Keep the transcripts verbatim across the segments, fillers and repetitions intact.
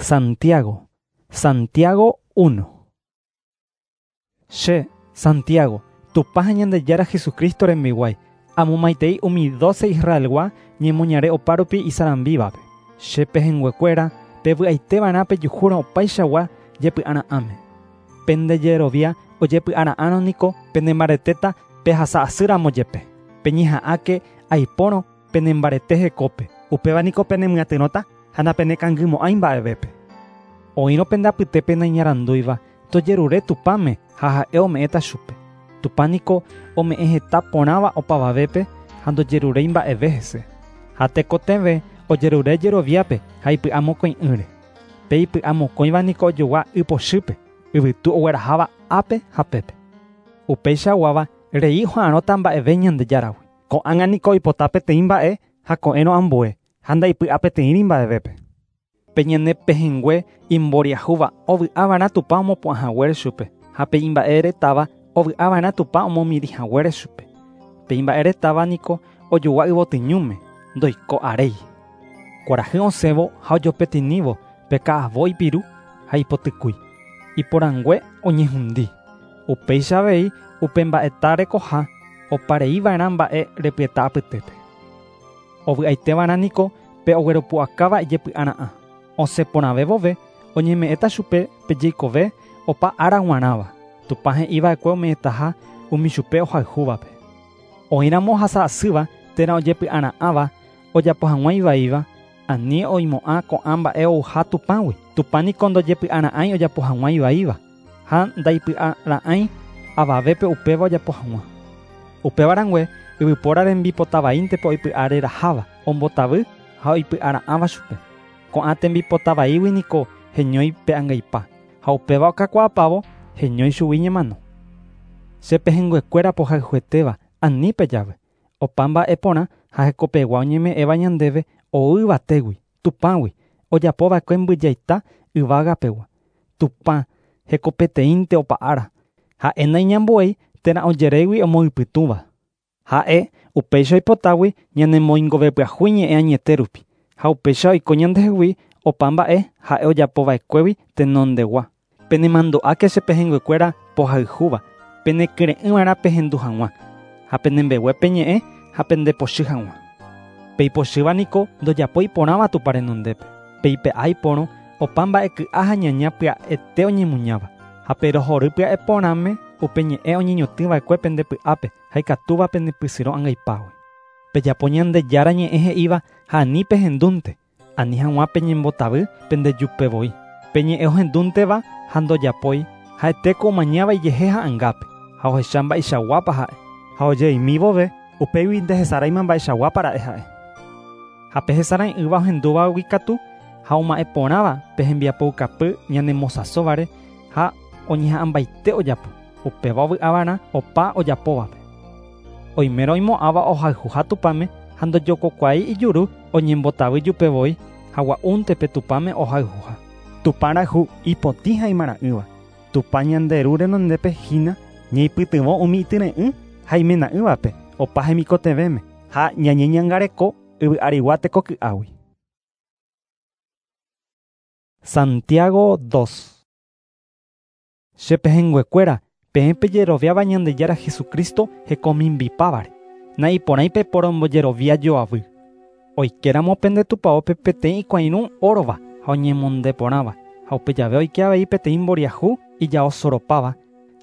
Santiago. Santiago uno. Che, Santiago, Tupã ha Ñandejára Jesucristo rembiguái, amomaitei umi doce Israelgua ñemoñare opárupi isarambívape. Che pehẽnguekuéra pevy'aiteva'erã pejuhúrõ opaichagua jepy'ara'ãme. Pendejerovia ojepy'ara'ãrõ niko penembaretéta pehasa'asýramo jepe. Peñeha'ãke aipórõ penembarete hekópe. Upéva niko penemyatyrõta ha napenekangymo'ãi mba'evépe. Oĩrõ pende apytépe naiñarandúiva tojerure Tupãme ha ha'e ome'ẽta chupe. Tupã niko ome'ẽ heta porãva opavavépe ha ndojeruréi mba'eve hese. Ha tekotevẽ ojerure jeroviápe ha ipy'amokõi'ỹre. Pe ipy'amokõiva niko ojogua ypochýpe, yvytu ogueraháva ápe ha pépe. Upeichaguáva rei oha'arõta mba'eve Ñandejáragui. Ko'ág̃a niko oipota peteĩ mba'e ha ko'ẽrõ ambue ha ndaipy'apeteĩri mba'evépe. Pe ñane pehẽngue imboriahúva ovy'ava'erã Tupã omopu'ãhaguére chupe ha pe imba'eretáva ovy'ava'erã Tupã omomirĩhaguére chupe. Pe imba'eretáva niko ojogua yvotyñúme ndoiko aréi. Kuarahy osẽvo ha ojopetinívo pe ka'avo ipiru ha ipotykúi. Iporãngue oñehundi. Upéicha avei upe mba'eta rekoha opareiva'erã mba'e repyeta apytépe. Ovy'aiteva'erã niko pe ogueropu'akáva ijepy'ara'ã. Osẽ porãve vove oñeme'ẽta chupe pe jeikove opa ára g̃uarãva. Tupã he'iva'ekue ome'ẽtaha umi chupe ohayhúvape. Oĩramo ohasa'asýva térã ojepy'ara'ãva ojapo hag̃ua ivaíva, ani oimo'ã ko'ã mba'e ouha Tupãgui. Tupã niko ndojepy'ara'ãi ojapo hag̃ua ivaíva ha ndaipy'ara'ãi avavépe upéva ojapo hag̃ua. Upévarãngue yvypóra rembipotavaíntepe oipy'areraháva, ombotavy ha oipy'ara'ãva chupe. Ko'ã tembipotavaígui niko heñói pe angaipa ha upéva okakuaapávo heñói chugui ñemano. Che pehẽnguekuéra pohayhuetéva ani pejave. Opa mba'e porã ha hekopegua oñeme'ẽva ñandéve ou yvatégui, Tupãgui, ojapova'ekue mbyjaita yvágapegua. Tupã hekopeteĩnte opa ára. Ha'e naiñambuéi térã ojerégui omoypytũva. Ha'e upéicha oipotágui ñanemoingovepyahu ñe'ẽ añete rupi ha upéicha oiko ñandehegui opa mba'e ha'e ojapova'ekuégui tenondegua. Penemandu'áke che pehẽnguekuéra pohayhúva, penekyre'ỹva'erã pehendu hag̃ua ha penembegue peñe'ẽ ha pendepochy hag̃ua. Peipochýva niko ndojapói porãva Tupã renondépe. Peipe'a iporõ opa mba'e ky'a ha ñaña pya'ete oñemuñáva ha perohory pya'e porãme upe ñe'ẽ oñeñotỹva'ekue pende py'ápe ha ikatúva pendepysyrõ angaipágui. Pejapo Ñandejára ñe'ẽ he'íva ha ani pehendúnte, ani hag̃ua peñembotavy pendejupevoi. Pe ñe'ẽ ohendúnteva ha ndojapói ha'etéko omañáva ijehe ha'ãngápe ha ohecha mba'eichaguápa ha'e. Ha ojeimi vove upégui ndehesaraima mba'eichaguápa ra'e ha'e. Ha pe hesarãi'ỹva ohendúvagui katu ha oma'ẽ porãva pe hembiapoukapy ñanemosãsóvare ha oñeha'ãmbaite ojapo. Upéva ovy'ava'erã opa ojapóvape. Oimérõ oimo'ãva ohayhuha Tupãme ha ndojokokuaái ijuru oñembotavy jupevoi ha gua'únte pe Tupãme ohayhuha. Tupã rayhu ipotĩ ha imara'ỹva. Tupã ñande ru renondépe hína ñaipytyvõ umi ityre'ỹ ha imena'ỹvape opa hemikotevẽme ha ñañeñangareko yvy'arigua tekoky'águi. Santiago dos. Che pehẽnguekuéra peẽ pejeroviáva Ñandejára Jesucristo hekomimbipávare. Naiporãi peporombojerovia joavy. Oikéramo pende tupãópe peteĩ ikuãirũ órova ha oñemondeporãva ha upe jave oike avei peteĩ mboriahu ijaosoropáva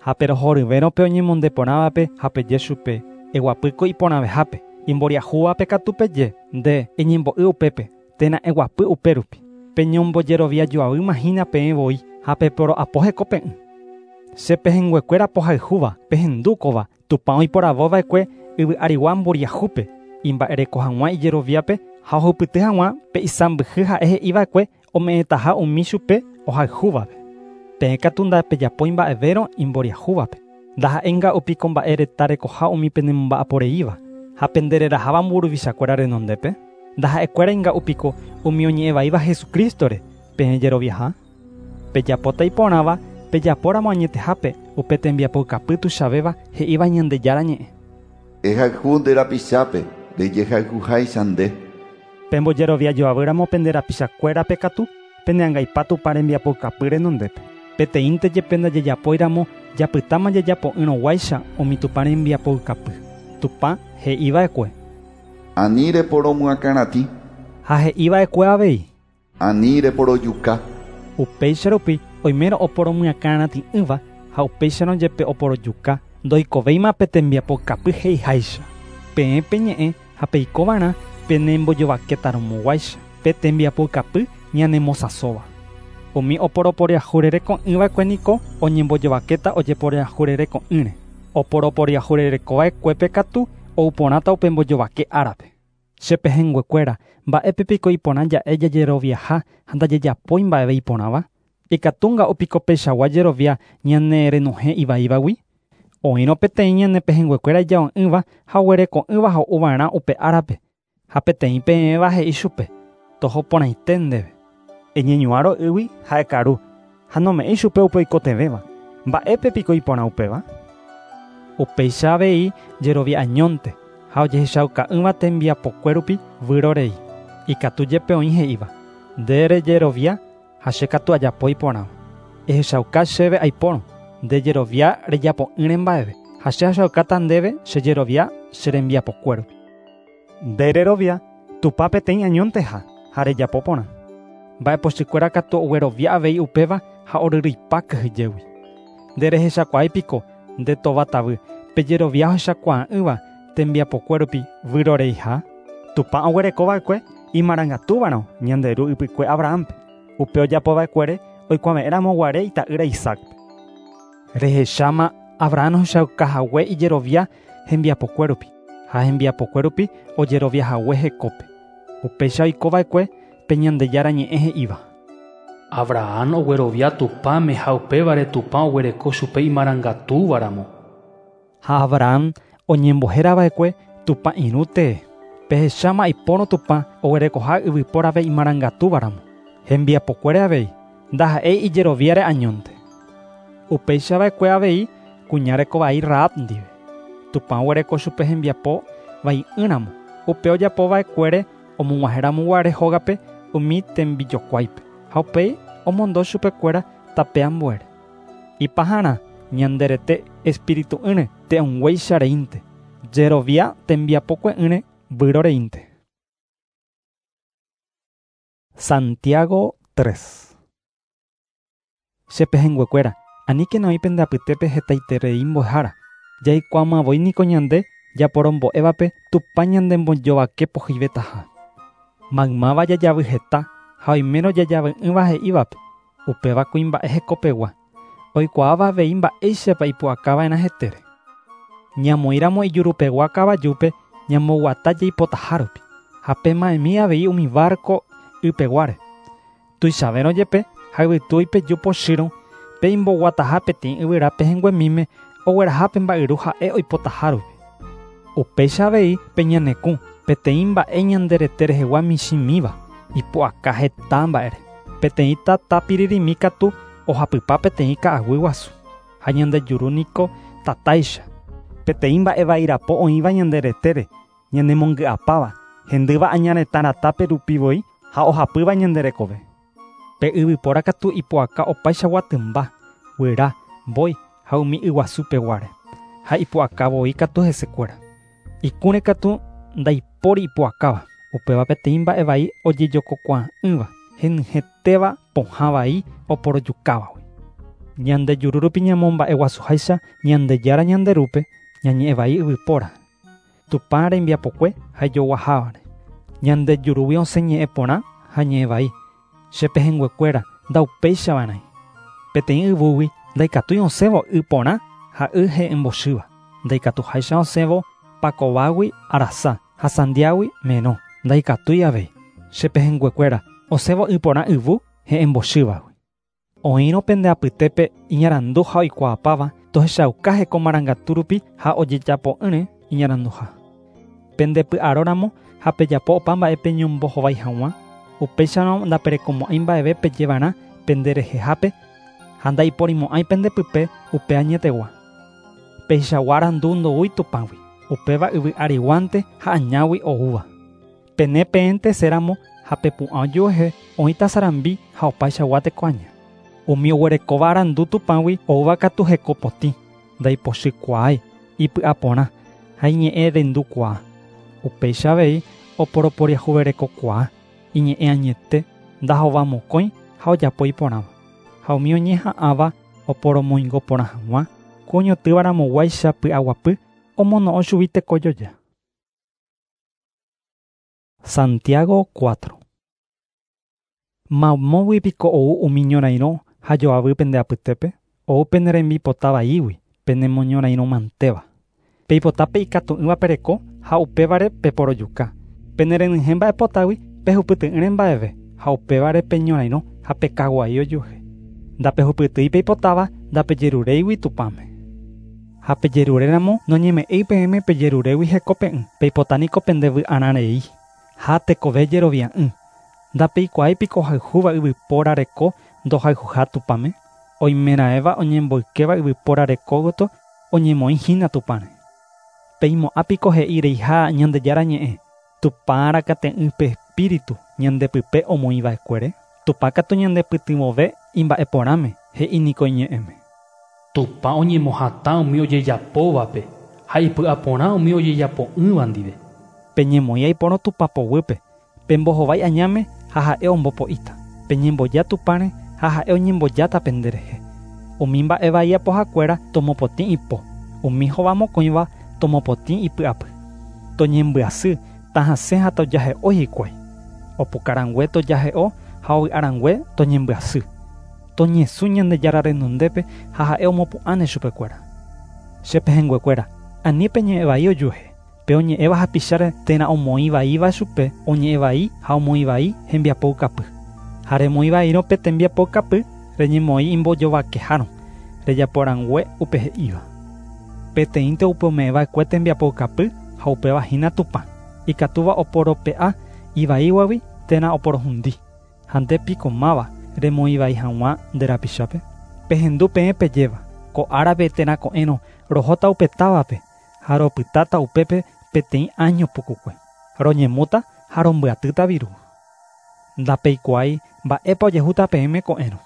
ha perohoryvérõ pe oñemondeporãvape ha peje chupe eguapýko iporãvehápe. Imboriahúvape katu peje nde eñembo'y upépe térã eguapy upérupi. Peñombojerovia joavýma hína peẽ voi ha peporo'apo hekope'ỹ. Che pehẽnguekuéra pohayhúva pehendúkova Tupã oiporavóva'ekue yvy'arigua mboriahúpe imba'ereko hag̃ua ijeroviápe ha ohupyty hag̃ua pe isãmbyhy ha'e he'iva'ekue ome'ẽtaha umi chupe ohayhúvape. Peẽ katu ndapejapói mba'evérõ imboriahúvape. Ndaha'éinga'upiko mba'e reta rekoha umi penemomba'aporeíva ha pendereraháva mburuvichakuéra renondépe. Ndaha'ekuérainga'upiko umi oñe'ẽvaíva Jesucrístore peẽ jeroviaha. Pejapóta iporãva pejapóramo añetehápe upe tembiapoukapy tuichavéva he'íva Ñandejára ñe'ẽ. Ehayhu nde rapichápe rejehayhuháicha nde. Pembojerovia joavýramo pende rapichakuérape katu pene angaipa Tupã rembiapoukapy renondépe. Peteĩnte jepe ndajejapóiramo japytáma jajapo'ỹrõguáicha umi Tupã rembiapoukapy. Tupã he'iva'ekue. Ani reporomyakãratĩ. Ha he'iva'ekue avei. Ani reporojuka. Upéicha rupi oimérõ oporomyakãratĩ'ỹva ha upéicharõ jepe oporojuka ndoikovéima pe tembiapoukapy he'iháicha. Peẽ peñe'ẽ ha peikova'erã penembojovakétarõmoguáicha pe tembiapoukapy ñanemosãsóva. Umi oporoporiahurereko'ỹva'ekue niko oñembojovakéta ojeporiahurereko'ỹre. Oporoporiahurerekova'ekuépe katu ouporãta upe mbojovake árape. Che pehẽnguekuéra mba'épe piko iporã ja'e jajeroviaha ha ndajejapói mba'eve iporãva. Ikatúnga opiko peichagua jerovia ñane renohẽ ivaívagui. Oĩrõ peteĩ ñane pehẽnguekuéra ijao'ỹva ha oguereko'ỹva ho'uva'erã upe árape. Ha peteĩ peẽva he'i chupe toho porãite ndéve. Eñeñuãrõ ýgui ha ekaru ha nome'ẽi chupe upe oikotevẽva. Mba'épe piko iporã upéva? Upéicha avei jerovia añónte ha ojehechauka'ỹva tembiapokue rupi vyrorei. Ikatu jepe oĩ he'íva nde rejerovia ha che katu ajapo iporãva. Ehechauka chéve aipórõ nde jerovia rejapo'ỹre mba'eve ha che ahechaukáta ndéve che jerovia che rembiapokue rupi. Nde rerovia Tupã peteĩ añónteha ha rejapo porã. Mba'epochykuéra katu oguerovia avei upéva ha oryryipa kyhyjégui. Nde rehechakuaái piko nde tovatavy pe jerovia ohechakuaa'ỹva tembiapokue rupi vyroreiha. Tupã oguerekova'ekue imarangatúvarõ ñande ru ypykue Abrahampe. Upe ojapova'ekuére oikuave'ẽramoguare ita'ýra Isaacpe. Rehecháma Abraham ohechaukahague ijerovia hembiapokue rupi ha hembiapokue rupi ojeroviahague hekópe. Upéicha oikova'ekue pe Ñandejára ñe'ẽ he'íva. Abraham oguerovia Tupãme ha upévare Tupã oguereko chupe imarangatúvaramo. Ha Abraham oñembohérava'ekue Tupã irũ tee. Pehecháma aipórõ Tupã oguerekoha yvypórave imarangatúvaramo. Hembiapokuére avei ndaha'éi ijeroviáre añónte. Upéicha va'ekue avei kuña rekovai Rahab ndive. Tupã oguereko chupe hembiapo vai'ỹramo. Upe ojapova'ekuére omog̃uahẽramoguare hógape umi tembijokuáipe ha upéi omondo chupekuéra tape ambuére. Ipaharã ñande rete espiritu'ỹre te'õnguéicha reínte. Jerovia tembiapokue'ỹre vyroreínte. Santiago tres. Che pehẽnguekuéra aníkena oĩ pende apytépe hetaiterei mbo'ehára. Jaikuaamavoi niko ñande japorombo'évape Tupã ñandembojovake pohýivetaha. Maymáva jajavy heta ha oimérõ jajavy'ỹva he'ívape upéva kuimba'e hekopegua. Oikuaáva avei mba'éichapa ipu'akava'erã hetére. Ñamoĩramo ijurupegua kavajúpe ñamboguata jaipotaha rupi. Ha pema'ẽmi avei umi barco ypeguáre. Tuichavérõ jepe ha yvytu oipeju pochýrõ pe imboguataha peteĩ yvyra pehẽnguemíme ogueraha pe mba'yru ha'e oipotaha rupi. Upéicha avei pe ñanekũ peteĩ mba'e ñande rete rehegua michĩmíva ipu'aka heta mba'ére. Peteĩ tata piririmi katu ohapypa peteĩ ka'aguy guasu ha ñande juru niko tatáicha. Peteĩ mba'e vairapo oĩva ñande retére ñanemongy'apáva hendýva añaretã ratápe rupi voi ha ohapýva ñande rekove. Pe yvypóra katu ipu'aka opaichagua tymba, guyra, mbói ha umi yguasupeguáre. Ha ipu'aka voi katu hesekuéra. Ikũre katu ndaipóri ipu'akáva. Upéva peteĩ mba'e vai ojejokokuaa'ỹva henyhẽtéva pohã vai oporojukávagui. Ñande juru rupi ñamomba'eguasuháicha Ñandejára ñande rúpe ñañe'ẽ vai yvypóra. Tupã rembiapokue ha ijoguahávare. Ñande jurúgui osẽ ñe'ẽ porã ha ñe'ẽ vai. Che pehẽnguekuéra ndaupéichava'erãi. Peteĩ yvúgui ndaikatúi osẽvo y porã ha y he'ẽmbochýva. Ndaikatuháicha osẽvo pakovágui arasa ha sandiágui merõ. Ndaikatúi avei. Che pehẽnguekuéra osẽvo y porã yvu he'ẽmbochývagui. Oĩrõ pende apytépe iñarandu ha oikuaapáva tohechauka heko marangatu rupi ha ojejapo'ỹre iñaranduha. Pende py'aróramo ha pejapo opa mba'e peñombohovái hag̃ua upéicharõ ndaperekomo'ãi mba'eve pejevarã pende rehehápe ha ndaiporimo'ãi pendepype upe añetegua. Peichagua arandu ndoúi Tupãgui, upéva yvy ariguánte ha añágui oúva. Pene peẽnte séramo Ha pepu'ã ojuehe oĩta sarambi ha opaichagua tekoaña. Umi oguerekóva arandu Tupãgui oúva katu hekopotĩ, ndaipochykuaái, ipy'aporã ha iñe'ẽrendukuaa. Upéicha avei oporoporiahuverekokuaa, iñe'ẽ añete, ndahovamokõi ha ojapo iporãva. Ha umi oñeha'ãva oporomoingo porã hag̃ua, ku oñotỹvaramoguáicha py'aguapy omono'õ chugui tekojoja. Santiago cuatro. Mamógui piko ou umi ñorairõ ha joavy pende apytépe, ou pene rembipota vaígui, penemoñorairõmantéva. Peipotápe ikatu'ỹva pereko ha upévare peporojuka. Penerenyhẽ mba'epotágui pehupyty'ỹre mba'eve ha upévare peñorairõ ha pekaguai ojuehe. Ndapehupytýi peipotáva ndapejeruréigui Tupãme. Ha pejeruréramo noñeme'ẽi peẽme pejerurégui hekope'ỹ, peipotaniko pendevy'arãrei ha tekove jerovia'ỹ. Ndapeikuaái piko ohayhúva yvypóra reko ndohayhuha Tupãme, oimeraẽva oñemboykéva yvypóra reko gotyo oñemoĩhína Tupãre. Peimo'ã piko he'ireiha Ñandejára ñe'ẽ, Tupã rakate'ỹ pe espíritu ñandepype omoĩva'ekuére, Tupã katu ñandepytyvõve imba'eporãme he'i niko iñe'ẽme. Tupã oñemohatã umi ojejapóvape ha ipy'aporã umi ojejapo'ỹva ndive. Peñemoĩ aiporõ Tupã poguýpe, pembohovái añáme ha ha'e ombopo'íta. Peñemboja Tupãre ha ha'e oñembojáta penderehe. Umi mba'e vai apohakuéra tomopotĩ ipo, umi hovamokõiva tomopotĩ ipy'apy. Toñembyasy, tahasẽ ha tojahe'o hikuái. Opukarangue tojahe'o ha ovy'arangue toñembyasy. Toñesũ Ñandejára renondépe ha ha'e omopu'ãne chupekuéra. Che pehẽnguekuéra, ani peñe'ẽ vai ojuehe. Pe oñe'ẽva hapicháre térã omoĩ vaíva chupe, oñe'ẽ vai ha omoĩ vai hembiapoukapy. Ha remoĩ vaírõ pe tembiapoukapy, reñemoĩ imbojovakehárõ, rejaporangue upe he'íva. Peteĩnte upe ome'ẽva'ekue tembiapoukapy ha upéva hína Tupã, ikatúva oporope'a ivaíguagui térã oporohundi. Ha nde piko máva remoĩ vai hag̃ua nde rapichápe. Pehendu peẽ pejéva, ko árape térã ko'ẽrõ rohóta upe távape ha ropytáta upépe peteĩ año pukukue. Roñemúta ha rombyatýta viru. Ndapeikuaái mba'épa ojehúta peẽme ko'ẽrõ.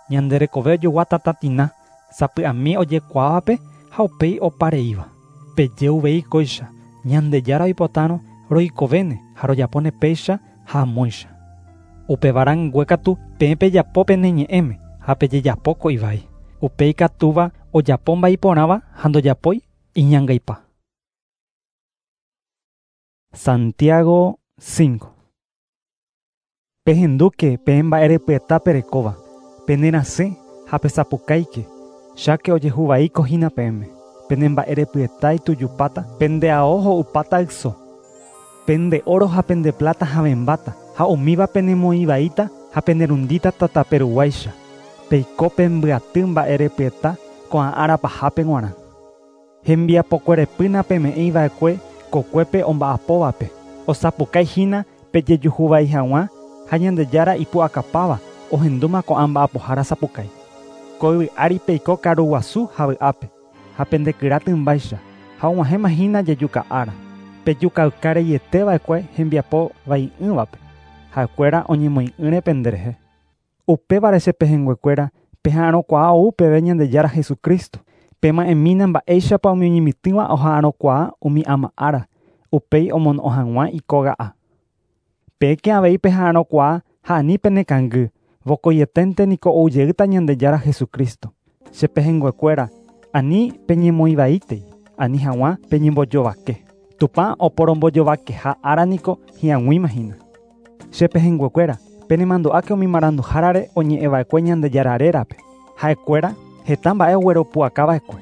Ñande rekove ojogua tatatina, sapy'ami ojekuaávape ha upéi opareíva. Peje uvei kóicha, Ñandejára oipotárõ roikovéne ha rojapóne péicha ha amóicha. Upevarãngue katu peẽ pejapo pene ñe'ẽme ha pejejapo ko ivai. Upéi ikatúva ojapo mba'eiporãva ha ndojapói iñangaipa. Santiago cinco. Pehendúke peẽ mba'erepyeta perekóva, penerasẽ ha pesapukáike, cháke ojehuvaíko hína peẽme. Pene mba'erepyeta itujupáta, pende ao ho'upáta yso. Pende oro ha pende plata havẽmbáta, ha umíva penemoĩvaíta ha penerundíta tataperuguáicha. Peiko pembyaty mba'erepyeta ko'ã ára pahápe g̃uarã. Hembiapokuerepýna peme'ẽiva'ekue kokuépe omba'apóvape, osapukáihína pejejuhuvai hag̃ua ha Ñandejára ipu'akapáva ohendúma ko'ã mba'apohára sapukái. Ko yvy ári peiko karuguasu ha vy'ápe, ha pendekyra tymbáicha, ha og̃uahẽmahína jejuka ára. Pejukaukareieteva'ekue hembiapo vai'ỹvape, ha'ekuéra oñemoĩ'ỹre penderehe. Upévare che pehẽnguekuéra peha'arõkuaa ou peve Ñandejára Jesucristo. Pema'ẽmína mba'éichapa umi oñemitỹva oha'arõkuaa umi ama ára, upéi omono'õ hag̃ua ikóga'a. Peẽke avei peha'arõkuaa ha ani penekangy, vokoieténte niko oujeýta Ñandejára Jesucristo. Che pehẽnguekuéra, ani peñemoĩvaítei, ani hag̃ua peñembojovake. Tupã oporombojovakeha ára niko hi'ag̃uímahína. Che pehẽnguekuéra, penemandu'áke umi maranduhárare oñe'ẽva'ekue Ñandejára rérape. Ha'ekuéra heta mba'e ogueropu'akava'ekue.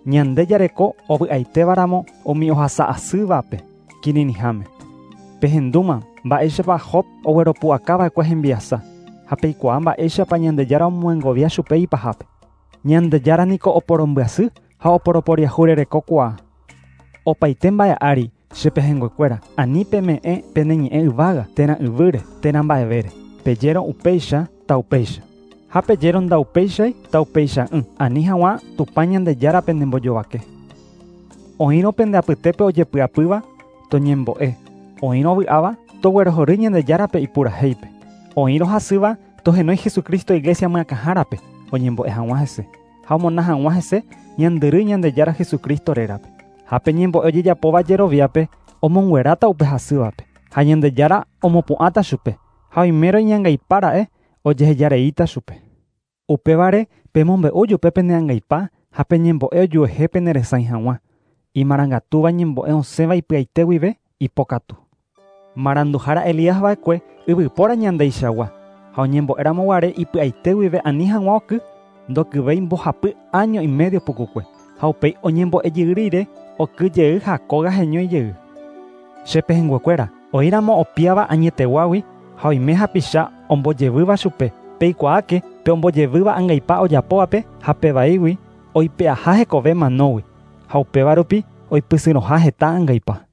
Ñande jareko ovy'aitévaramo umi ohasa'asývape kirirĩháme. Pehendúma mba'éichapa Job ogueropu'akava'ekue hembiasa, ha peikuaa mba'éichapa Ñandejára omoengovia chupe ipahápe. Ñandejára niko oporombyasy ha oporoporiahurerekokuaa. Opaite mba'e ári che pehẽnguekuéra, ani peme'ẽ pene ñe'ẽ yvága térã yvýre térã mba'evére. Pejérõ upéicha taupéicha. Ha pejérõ ndaupéichai taupeicha'ỹ, ani hag̃ua Tupã Ñandejára penembojovake. Oĩrõ pende apytépe ojepy'apýva toñembo'e, oĩrõ vy'áva Toguerohory Ñandejárape ipurahéipe. Oĩrõ hasýva tohenói Jesucristo iglesia myakãhárape oñembo'e hag̃ua hese. Ha omona hag̃ua hese ñandyry Ñandejára Jesucristo rérape. Ha pe ñembo'e ojejapóva jeroviápe omongueráta upe hasývape. Ha Ñandejára omopu'ãta chupe. Ha oimérõ iñangaipára'e ojehejareíta chupe. Upévare pemombe'u jupe peneangaipa ha peñembo'e ojuehe peneresãi hag̃ua. Imarangatúva ñembo'e osẽva ipy'aite guive ipokatu. Maranduhára Elías va'ekue yvypóra ñandeichagua ha oñembo'éramoguare ipy'aite guive ani hag̃ua oky ndokyvéi mbohapy año y medio pukukue ha upéi oñembo'ejey rire okyjey ha kóga heñói jey. Che pehẽnguekuéra oĩramo opiáva añeteguágui ha oime hapicha ombojevýva chupe peikuaáke pe ombojevýva angaipa ojapóvape ha pevaígui oipe'aha hekove manógui ha upéva rupi oipysyrõha heta angaipa.